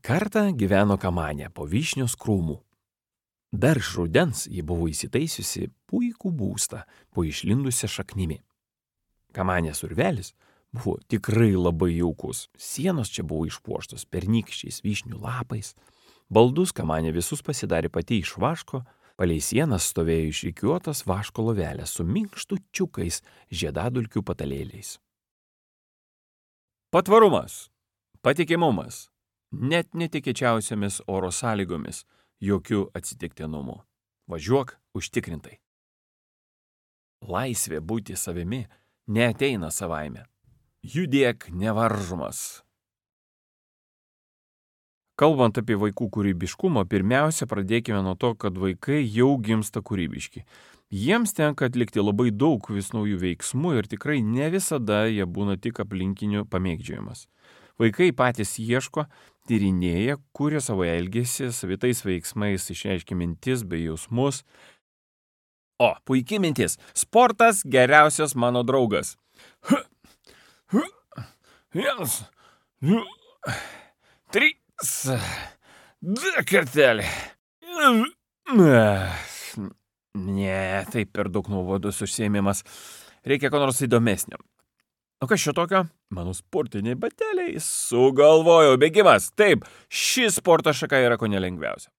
Kartą gyveno kamanė po vyšnios krūmų. Dar iš rudens ji buvo įsitaisiusi puikų būstą po išlindusią šaknimi. Kamanės urvelis buvo tikrai labai jaukus. Sienos čia buvo išpuoštos pernykščiais vyšnių lapais. Baldus kamanė visus pasidarė pati iš vaško, palei sienas stovėjo išrikiuotas vaško lovelės su minkštučiukais žiedadulkių patalėliais. Patvarumas, patikimumas, net netikėčiausiamis oro sąlygomis, jokių atsitiktinumų. Važiuok užtikrintai. Laisvė būti savimi neateina savaime. Judėk nevaržomas. Kalbant apie vaikų kūrybiškumą, pirmiausia pradėkime nuo to, kad vaikai jau gimsta kūrybiški. Jiems tenka atlikti labai daug vis naujų veiksmų ir tikrai ne visada jie būna tik aplinkinių pamėgdžiojimas. Vaikai patys ieško, tyrinėja, kuria savo elgesį, savitais veiksmais išreiškia mintis bei jausmus. O, puikiai mintis. Sportas geriausias mano draugas. 1, 2, 3, 2 kartelį. Ne, tai per daug nuobodus užsiėmimas. Reikia ko nors įdomesnio. O kas šio tokio? Mano sportiniai bateliai. Sugalvojau, bėgimas. Taip, ši sporto šaka yra ko nelengviausia.